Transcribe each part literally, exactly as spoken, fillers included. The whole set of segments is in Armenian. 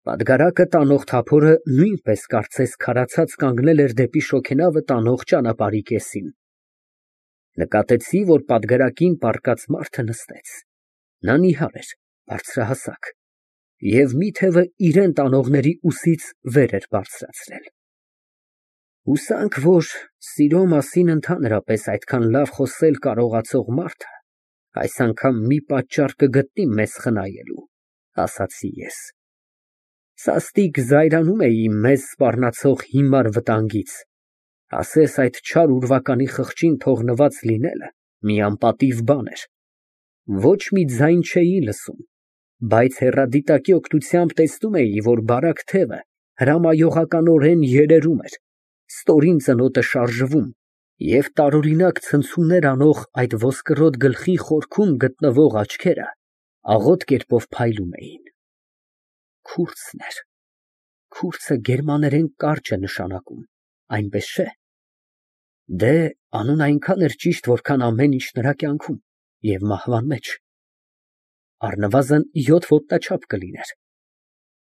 Պատգարակը տանող թափորը նույնպես կարծես քարացած կանգնել էր դեպի շոգենավը տանող ճանապարհի կեսին։ Նկատեցի, որ պատգարակին պառկած մարդը նստեց։ Նա նիհար էր, բարձրահասակ, և մի թևը իրան տանողների ուսից վեր էր բարձրացրել։ Հուսանք, որ սիրո մասին ընդհանրապես այդքան լավ խոսել կարողացող մարդը այս անգամ մի պատճառ կգտնի մեզ խնայելու, ասացի ես։ Սաստիկ զայրանում էի մեզ սպառնացող հիմար վտանգից, ասես այդ չար ուրվականի խղճին թողնված լինելը մի անպատիվ բան էր։ Ոչ մի ձայն չէի լսում, բայց հեռադիտակի օգնությամբ տեսնում էի, որ բարակ թևը հրամայողականորեն երերում էր, ստորին ծնոտը շարժվում, և տարօրինակ ցնցումներ անող այդ ոսկրոտ գլխի խորքում գտնվող աչքերը աղոտ կերպով փայլում էին։ Քուրձն էր։ Քուրձը գերմաներեն կարճ է նշանակում, այնպես չէ՞։ Դե, անունը այնքան էր ճիշտ, որքան ամեն ինչ նրա կյանքում և մահվան մեջ։ Առնվազն յոթ ոտնաչափ կլիներ։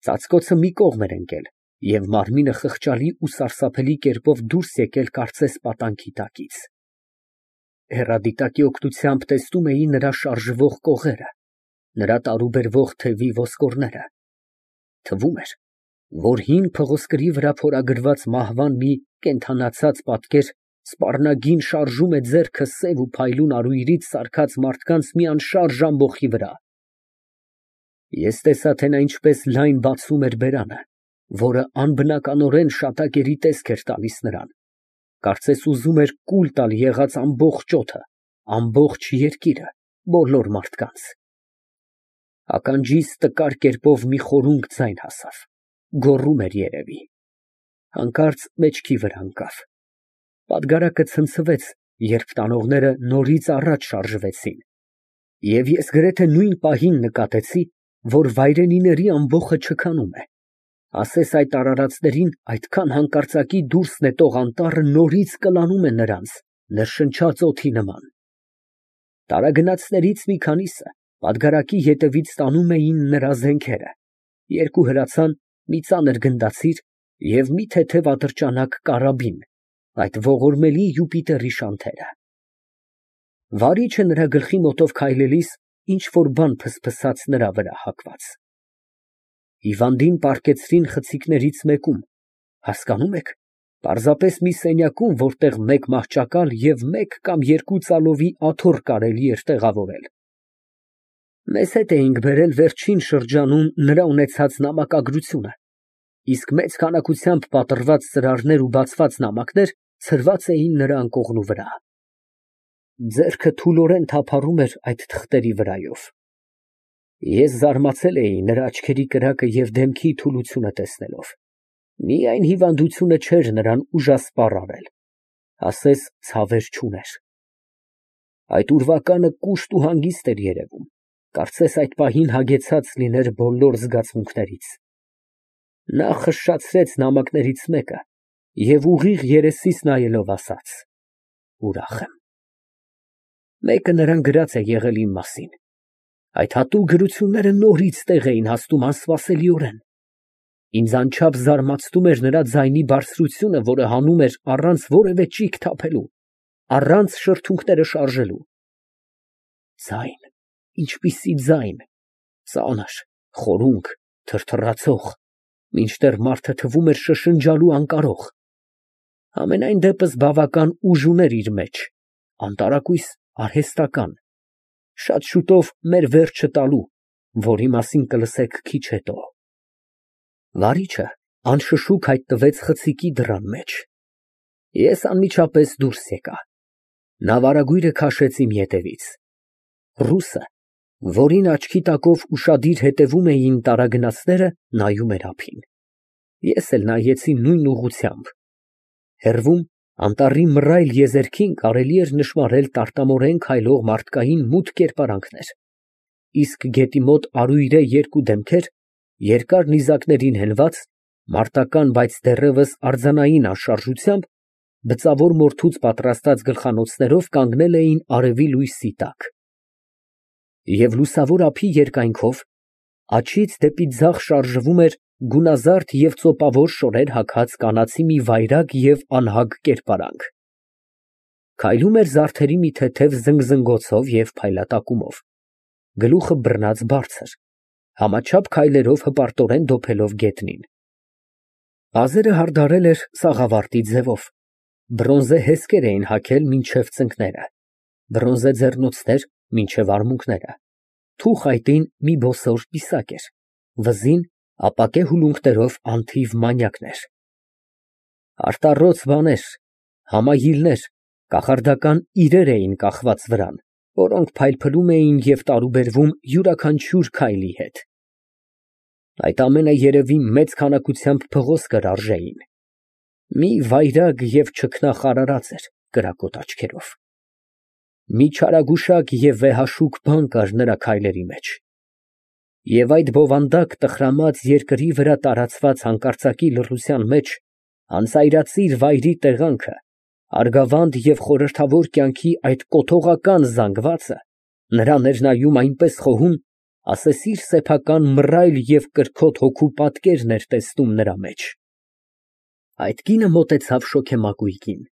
Ծածկոցը մի կողմ էր ընկել, և մարմինը խղճալի ու սարսափելի կերպով դուրս եկել կարծես պատանքի տակից։ Հեռադիտակի օգնությամբ տեսնում էի նրա շարժվող կողերը, նրա տարուբերվող թևի ոսկորները։ Թվում էր, որ հին փղոսկրի վրա փորագրված մահվան մի կենդանացած պատկեր սպառնագին շարժում է ձեռքը սև ու փայլուն արյունից սարքած մարդկանց մի անշարժ ամբոխի վրա։ Ես տեսա, թե նա ինչպես լայն բացում էր բերանը, որը անբնականորեն շատակերի տեսք էր տալիս նրան, կարծես ուզում էր կուլ տալ եղած ամբողջ օդը, ամբողջ երկիրը, բոլոր մարդկանց։ Ականջիս տկար կերպով մի խորունկ ձայն հասավ, գոռում էր երևի։ Հանկարծ մեջքի վրա ընկավ։ Պատգարակը ցնցվեց, երբ տանողները նորից առաջ շարժվեցին, և ես գրեթե նույն պահին նկատեցի, որ վայրենիների ամբոխը չքանում է, ասես այդ արարածներին այդքան հանկարծակի դուրս նետող անտառը նորից կլանում է նրանց, ներշնչած օդի նման։ Տարագնացներից մի քանիսը պատգարակի ետևից տանում էին նրա զենքերը, երկու հրացան, մի ծանր գնդացիր և մի թեթև ատրճանակ կարաբին, այդ ողորմելի Յուպիտերի շանթերը։ Վարիչը նրա գլխի մոտով քայլելիս ինչ֊որ բան փսփսաց նրա վրա հագված։ Հիվանդին պառկեցրին խցիկներից մեկում, հասկանում եք, պարզապես մի սենյակում, որտեղ մեկ մահճակալ և մեկ կամ երկու ծալովի աթոռ կարելի էր տեղավորել։ Մեզ հետ էինք բերել վերջին շրջանում նրա ունեցած նամակագրությունը, իսկ մեծ քանակությամբ պատռված ծրարներ ու բացված նամակներ ցրված էին նրա անկողնու վրա։ Ձեռքը թուլորեն թափառում էր այդ թղթերի վրայով։ Ես զարմացել էի նրա աչքերի կրակը և դեմքի թուլությունը տեսնելով։ Միայն հիվանդությունը չէր նրան ուժասպառ արել, ասես ցավեր չուներ։ Այդ ուրվականը կուշտ ու հանգիստ էր երևում, կարծես այդ պահին հագեցած լիներ բոլոր զգացմունքներից։ Նա խշշացրեց նամակներից մեկը և ուղիղ երեսիս նայելով ասաց. «Ուրախ եմ»։ Մեկը նրան գրած է եղել իմ մասին։ Այդ հատուկ գրությունները նորից տեղ էին հասնում անսպասելիորեն։ Ինձ անչափ զարմացնում էր նրա ձայնի բարձրությունը, որը հանում էր առանց որևէ ճիգ թափելու, առանց շրթունքները շարժելու։ Ձայն, ինչպիսի ձայն, ծանր, խորունկ, թրթռացող, մինչդեռ մարդը թվում էր շշնջալու անկարող։ Համենայն դեպս բավական ուժ ուներ իր մեջ, անտարակույս, արհեստական, շատ շուտով մեր վերջը տալու, որի մասին կլսեք քիչ հետո։ Վարիչը անշշուկ հայտնվեց խցիկի դռան մեջ։ Ես անմիջապես դուրս եկա։ Նա վարագույրը քաշեց իմ ետևից։ Ռուսը, որին աչքի տակով ուշադիր հետևում էին տարագնացները, նայում էր ափին։ Ես էլ նայեցի նույն ուղղությամբ։ Հեռվում, անտառի մռայլ եզերքին կարելի էր նշմարել տարտամորեն քայլող մարդկային մութ կերպարանքներ, իսկ գետի մոտ արույրե երկու դեմքեր, երկար նիզակներին հենված, մարտական, բայց դեռևս արձանային անշարժությամբ, բծավոր մորթուց պատրաստած գլխանոցներով կանգնել էին արևի լույսի տակ։ Եվ լուսավոր ափի երկայնքով աջից դեպի ձախ շարժվում էր գունազարդ և ծոպավոր շորեր հագած կանացի մի վայրագ և անհագ կերպարանք, քայլում էր զարդերի մի թեթև զնգզնգոցով և փայլատակումով, գլուխը բռնած բարձր, համաչափ քայլերով հպարտորեն դոփելով գետնին։ Մազերը հարդարել էր սաղավարտի ձևով, բրոնզե հեսկեր էին հագել մինչև ծնկները, բրոնզե ձեռնոցներ մինչև արմունկները, թուխ այտին մի բոսոր պիսակ էր, վզին ապակե հուլունքներով անթիվ մանյակներ։ Արտառոց բաներ, համայիլներ, կախարդական իրեր էին կախված վրան, որոնք փայլփլում էին և տարուբերվում յուրաքանչյուր քայլի հետ։ Այդ ամենը երևի մեծ քանակությամբ փղոսկր կրարժեին։ Մի վայրագ և չքնախ արարած էր կրակոտ աչքերով։ Մի չարագուշակ և վեհաշուկ բան կար նրա քայլերի մեջ, և այդ բովանդակ տխրամած երկրի վրա տարածված հանկարծակի լռության մեջ անծայրածիր վայրի տեղանքը, արգավանդ և խորհրդավոր կյանքի այդ կոթողական զանգվածը նրան էր նայում այնպես խոհում, ասես իր սեփական մռայլ և կրքոտ հոգու պատկերն էր տեսնում նրա մեջ։ Այդ կինը մոտեցավ շոգեմակույրին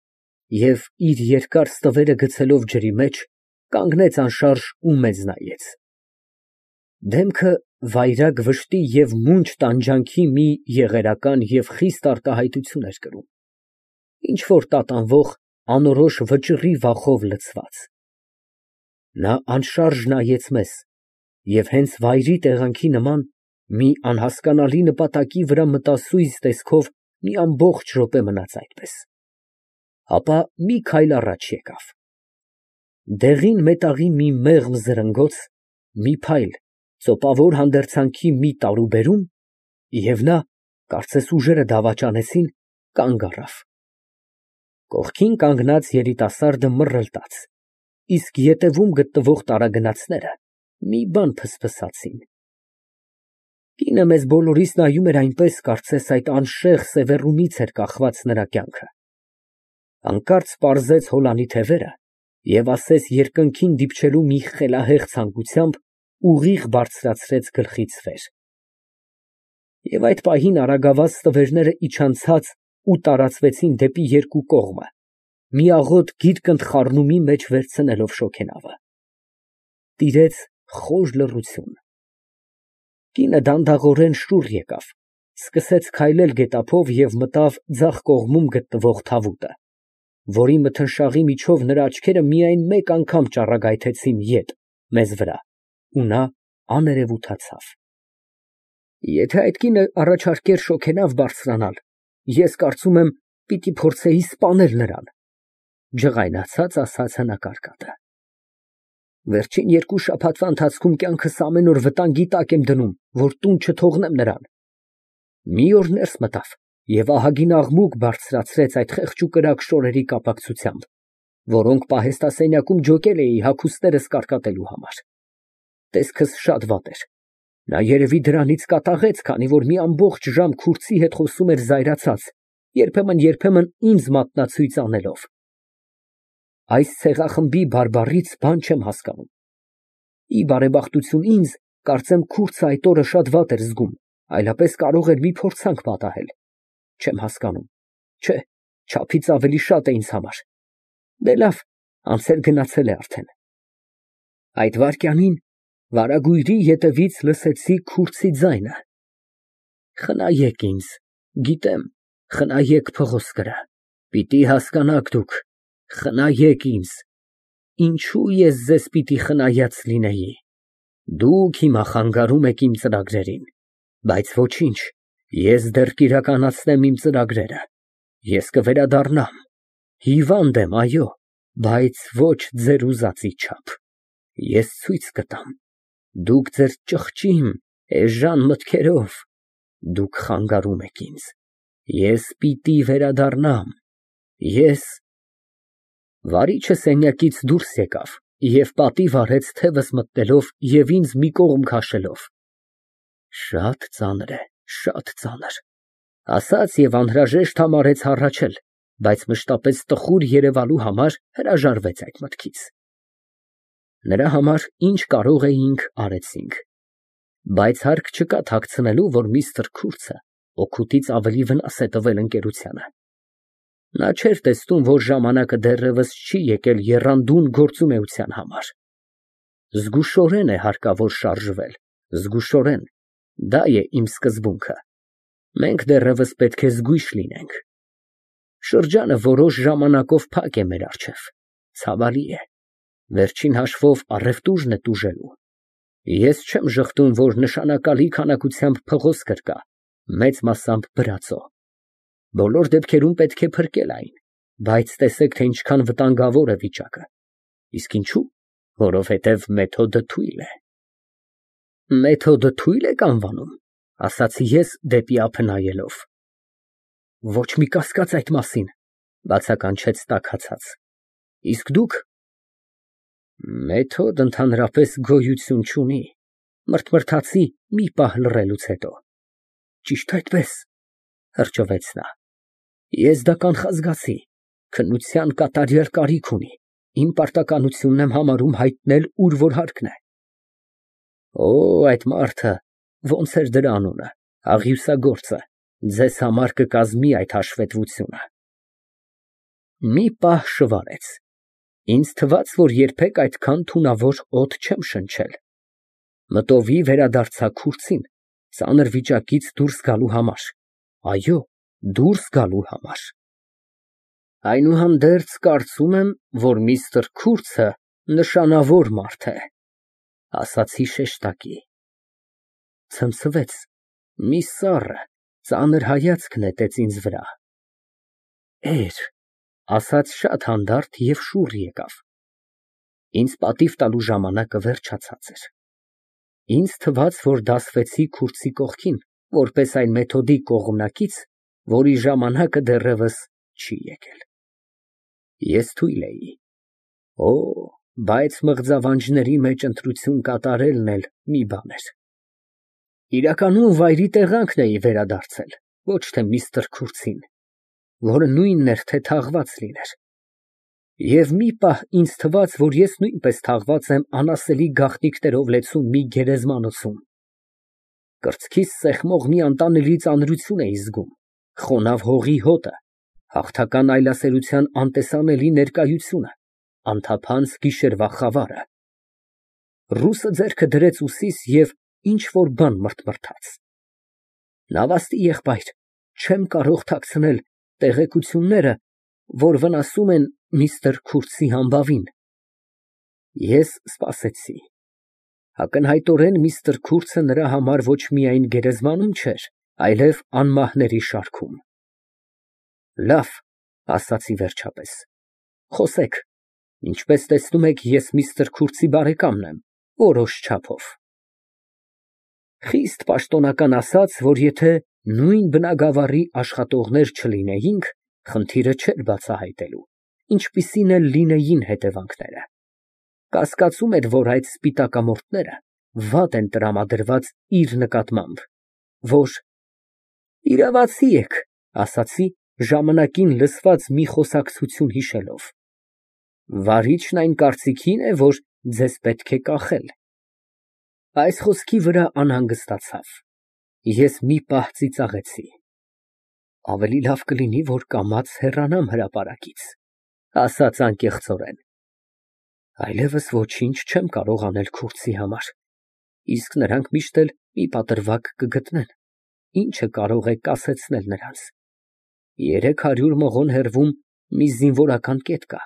և, իր երկար ստվերը գցելով ջրի մեջ, կանգնեց անշարժ ու մեզ նայեց։ Դեմքը վայրագ վշտի և մունջ տանջանքի մի եղերական և խիստ արտահայտություն էր կրում, ինչ֊որ տատանվող անորոշ վճռի վախով լցված։ Նա անշարժ նայեց մեզ և հենց վայրի տեղանքի նման մի անհասկանալի նպատակի վրա մտասույզ տեսքով մի ամբողջ րոպե մնաց այդպես, ապա մի քայլ առաջ եկավ։ Դեղին մետաղի մի մեղմ զրնգոց, մի փայլ, ծոպավոր հանդերձանքի մի տարուբերում, և նա, կարծես ուժերը դավաճանեցին, կանգ առավ։ Կողքին կանգնած երիտասարդը մռլտաց, իսկ ետևում գտնվող տարագնացները մի բան ֆսֆսացին։ Կինը մեզ բոլորիս նայում էր այնպես, կարծես այդ անշեղ սևեռումից էր կախված նրա կյանքը։ Հանկարծ պարզեց հոլանի թևերը և ասես երկնքին դիպչելու մի խելահեղ ցանկությամբ, ուղիղ բարձրացրեց գլխից վեր։ Եվ այդ պահին արագավազ ստվերները իջան ցած ու տարածվեցին դեպի երկու կողմը, մի աղոտ գիրկնտ խառնումի մեջ վերցնելով շոգենավը։ Տիրեց խոր լռություն։ Կինը դանդաղորեն շուռ եկավ, սկսեց քայլել գետափով և մտավ ձախ կողմում գտնվող թավուտը, որի մթնշաղի միջով նրա աչքերը միայն մեկ անգամ ճառագայթեցին ետ, մեզ վրա, ու նա աներևութացավ։ Եթե այդ կինը առաջարկեր շոգենավ բարձրանալ, ես կարծում եմ, պիտի փորձեի սպանել նրան, ֊ ջղայնացած ասաց հնակարկատը։ Վերջին երկու շաբաթվա ընթացքում կյանքս ամեն օր վտանգի տակ եմ դնում, որ տուն չթողնեմ նրան։ Մի օր ներս մտավ և ահագին աղմուկ բարձրացրեց այդ խեղճուկրակ շորերի կապակցությամբ, որոնք պահեստասենյակում ջոկել էի հագուստներս կարկատելու համար։ Տեսքս շատ վատ էր։ Նա երևի դրանից կատաղեց, քանի որ մի ամբողջ ժամ քուրձի հետ խոսում էր զայրացած, երբեմն֊երբեմն ինձ մատնացույց անելով։ Այս ցեղախմբի բարբառից բան չեմ հասկանում։ Ի բարեբախտություն ինձ, կարծեմ քուրձը այդ օրը շատ վատ էր զգում, այլապես կարող էր մի փորձանք պատահել։ Չեմ հասկանում, չէ, չափից ավելի շատ է ինձ համար։ Դե լավ, անցել գնացել է արդեն։ Այդ վայրկյանին վարագույրի ետևից լսեցի քուրձի ձայնը. «Խնայեք ինձ, գիտեմ, խնայեք փղոսկրը, պիտի հասկանաք դուք, խնայեք ինձ, ինչու ես ձեզ պիտի խնայած լինեի։ Դուք հիմա խանգարում եք իմ ծրագրերին, բայց ոչինչ, ես դեռ կիրականացնեմ իմ ծրագրերը, ես կվերադառնամ, հիվանդ եմ, այո, բայց ոչ ձեր ուզածի չափ։ Ես ցույց կտամ, դուք ձեր ճղճիմ, էժան մտքերով, դուք խանգարում եք ինձ, ես պիտի վերադառնամ, ես…» Վարիչը սենյակից դուրս եկավ և պատիվ արեց թևս մտնելով և ինձ մի կողմ քաշելով։ «Շատ ծանր է, շատ ծանր», ֊ ասաց և անհրաժեշտ համարեց հառաչել, բայց մշտապես տխուր երևալու համար հրաժարվեց այդ մտքից։ Նրա համար ինչ կարող էինք, արեցինք։ Բայց հարկ չկա թաքցնելու, որ միստր Քուրցը օգուտից ավելի վնաս է տվել ընկերությանը։ Նա չէր տեսնում, որ ժամանակը դեռևս չի եկել եռանդուն գործունեության համար։ Զգուշորեն է հարկավոր շարժվել, զգուշորեն, դա է իմ սկզբունքը։ Մենք դեռևս պետք է զգույշ լինենք։ Շրջանը որոշ ժամանակով փակ է մեր առջև, ցավալի է, վերջին հաշվով առևտուրն է տուժելու։ Ես չեմ ժխտում, որ նշանակալի քանակությամբ փղոսկր կա, մեծ մասամբ բրածո։ Բոլոր դեպքերում պետք է փրկել այն, բայց տեսեք, թե ինչքան վտանգավոր է վիճակը։ Իսկ ինչու՞։ Որովհետև մեթոդը թույլ է։ Մեթոդը թույլ եք անվանում, ասացի ես դեպի ափը նայելով։ Ոչ մի կասկած այդ մասին, բացականչեց տաքացած։ Իսկ դուք։ Մեթոդ ընդհանրապես գոյություն չունի, մրթմրթացի մի պահ լռելուց հետո։ Ճիշտ այդպես, հրճվեց նա։ Ես դա կանխազգացի, քննության կատարյալ կարիք ունի, իմ պարտականությունն եմ համարում հայտնել, ուր որ հարկն է։ Օ, այդ մարդը, ոնց էր դրա անունը, աղյուսագործը, ձեզ համար կկազմի այդ հաշվետվությունը։ Մի պահ շվարեց։ Ինձ թվաց, որ երբեք այդքան թունավոր օդ չեմ շնչել։ Մտովի վերադարձա Քուրցին, ծանր վիճակից դուրս գալու համար, այո, դուրս գալու համար։ Այնուհանդերձ կարծում եմ, որ միստր Քուրցը նշանավոր մարդ է, ասացի շեշտակի։ Ցնցվեց, մի սառը, ծանր հայացք նետեց ինձ վրա։ Էր, ասաց շատ հանդարտ և շուռ եկավ։ Ինձ պատիվ տալու ժամանակը վերջացած էր։ Ինձ թվաց, որ դասվեցի Քուրցի կողքին, որպես այն մեթոդի կողմնակից, որի ժամանակը դեռևս չի եկել։ Ես թույլ էի։ Օ, բայց մղձավանջների մեջ ընտրություն կատարելն էլ մի բան էր։ Իրականում վայրի տեղանքն էի վերադարձել, ոչ թե միստր Քուրցին, որը նույնն էր, թե թաղված լիներ։ Եվ մի պահ ինձ թվաց, որ ես նույնպես թաղված եմ անասելի գաղտնիքներով լեցուն մի գերեզմանոցում։ Կրծքիս սեղմող մի անտանելի ծանրություն էի զգում, խոնավ հողի հոտը, հաղթական այլասերության անտեսանելի ներկայությունը, անթափանց գիշերվա խավարը։ Ռուսը ձեռքը դրեց ուսիս և ինչ֊որ բան մրթմրթաց։ Նավաստի եղբայր, չեմ կարող թաքցնել տեղեկությունները, որ վնասում են միստր Քուրցի համբավին։ Ես սպասեցի։ Ակնհայտորեն միստր Քուրցը նրա համար ոչ միայն գերեզմանում չէր, այլև անմահների շարքում։ Լավ, ասացի վերջապես, խոսեք, ինչպես տեսնում եք, ես միստր Քուրցի բարեկամն եմ, որոշ չափով։ Խիստ պաշտոնական ասած, որ եթե նույն բնագավառի աշխատողներ չլինեինք, խնդիրը չէր բացահայտելու, ինչպիսին էլ լինեին հետևանքները։ Կասկածում էր, որ այդ սպիտակամորթները վատ են տրամադրված իր նկատմամբ, որ… Իրավացի եք, ասացի, ժամանակին լսված մի խոսակցություն հիշելով։ Վարիչն այն կարծիքին է, որ ձեզ պետք է կախել։ Այս խոսքի վրա անհանգստացավ։ Ես մի պահ ծիծաղեցի։ Ավելի լավ կլինի, որ կամաց հեռանամ հրապարակից, ասաց անկեղծորեն։ Այլևս ոչինչ չեմ կարող անել Քուրցի համար, իսկ նրանք միշտ էլ մի պատրվակ կգտնեն, ինչը կարող է կասեցնել նրանց։ Երեք հարյուր մղոն հեռվում մի զինվորական կետ կա։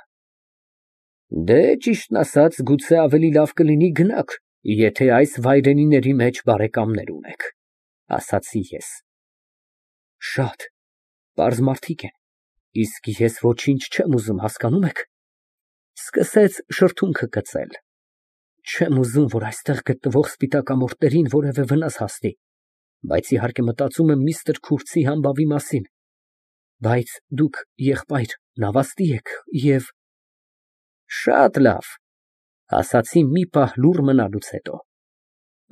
Դե, ճիշտն ասած, գուցե ավելի լավ կլինի գնաք, եթե այս վայրենիների մեջ բարեկամներ ունեք, ասացի ես։ Շատ պարզ մարդիկ են, իսկ ես ոչինչ չեմ ուզում, հասկանում եք։ Սկսեց շրթունքը կծել։ Չեմ ուզում, որ այստեղ գտնվող սպիտակամորթներին որևէ վնաս հասնի, բայց իհարկե մտածում եմ միստր Քուրցի համբավի մասին։ Բայց դուք, եղբայր, նավաստի եք և… Շատ լավ, ասացի մի պահ լուռ մնալուց հետո։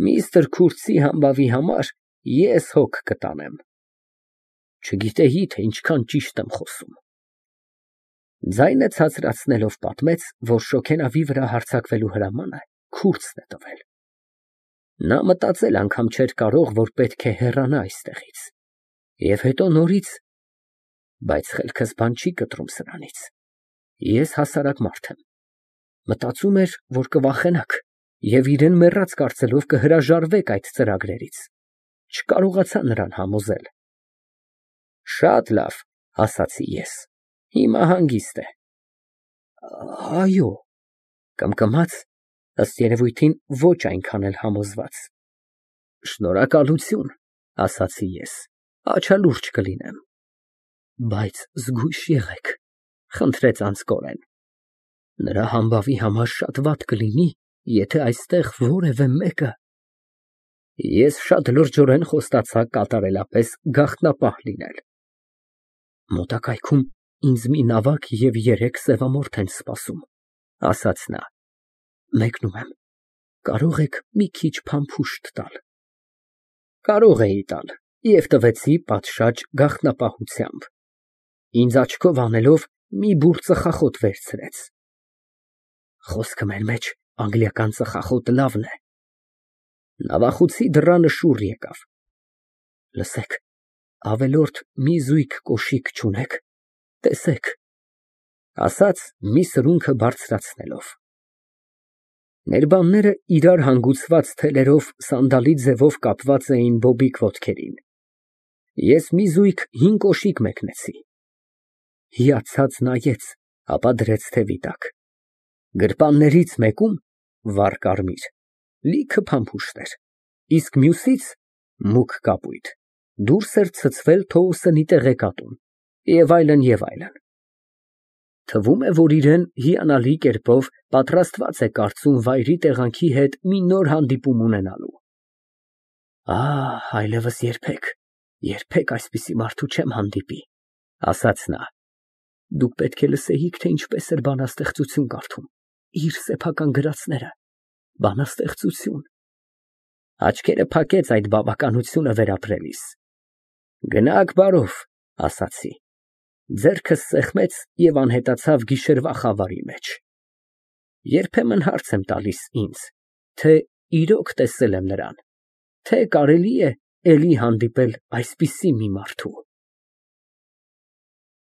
Միստր Քուրցի համբավի համար ես հոգ կտանեմ։ Չգիտեի, թե ինչքան ճիշտ եմ խոսում։ Ձայնը ցածրացնելով պատմեց, որ շոգենավի վրա հարձակվելու հրամանը Քուրցն է տվել։ Նա մտածել անգամ չէր կարող, որ պետք է հեռանա այստեղից, և հետո նորից… Բայց խելքս բան չի կտրում սրանից, ես հասարակ մարդ եմ, մտածում էր, որ կվախենաք և իրան մեռած կարծելով կհրաժարվեք այդ ծրագրերից, չկարողացա նրան համոզել։ Շատ լավ, ասացի ես, հիմա հանգիստ է։ Այո, կմկմաց, ըստ երևույթին ոչ այնքան էլ համոզված։ Շնորհակալություն, ասացի ես, աչալուրջ կլինեմ։ Բայց զգույշ եղեք, խնդրեց անձկորեն, նրա համբավի համար շատ վատ կլինի, եթե այստեղ որևէ մեկը… Ես շատ լրջորեն խոստացա կատարելապես գաղտնապահ լինել։ Մոտակայքում ինձ մի նավակ և երեք սևամորթ են սպասում, ասաց նա, մեկնում եմ, կարող եք մի քիչ փամփուշտ տալ։ Կարող էի տալ և տվեցի պատշաճ գաղտնապահությամբ, ինձ աչքով անելով մի բուռ ծխախոտ վերցրեց։ Խոսքը մեր մեջ անգլիական ծխախոտը լավն է։ Նավախուցի դռանը շուռ եկավ։ Լսեք, ավելորդ մի զույգ կոշիկ չունե՞ք, տեսեք, ասաց մի սրունքը բարձրացնելով։ Ներբանները իրար հանգուցված թելերով սանդալի ձևով կապված էին բոբիկ ոտքերին։ Ես մի զույգ հին կոշիկ մեկնեցի։ Հիացած նայեց, ապա դրեց թևի տակ։ Գրպաններից մեկում վառ կարմիր, լիքը փամփուշտ էր, իսկ մյուսից մուգ կապույտ, դուրս էր ցցվել Թոուսենի տեղեկատուն, և այլն, և այլն։ Թվում է, որ իրան հիանալի կերպով պատրաստված է կարծում վայրի տեղանքի հետ մի նոր հանդիպում ունենալու։ Ահ, այլևս երբեք, երբեք այսպիսի մարդու չեմ հանդիպի, ասաց նա։ Դուք պետք է լսեիք, թե ինչպես էր բանաստեղծություն կարդում, իր սեփական գրածները, բանաստեղծություն… Աչքերը փակեց այդ բավականությունը վերապրելիս։ Գնաք բարով, ասացի, ձեռքս սեղմեց և անհետացավ գիշերվա խավարի մեջ։ Երբեմն հարց եմ տալիս ինձ, թե իրոք տեսել եմ նրան, թե կարելի է էլի հանդիպել այսպիսի մի մարդու։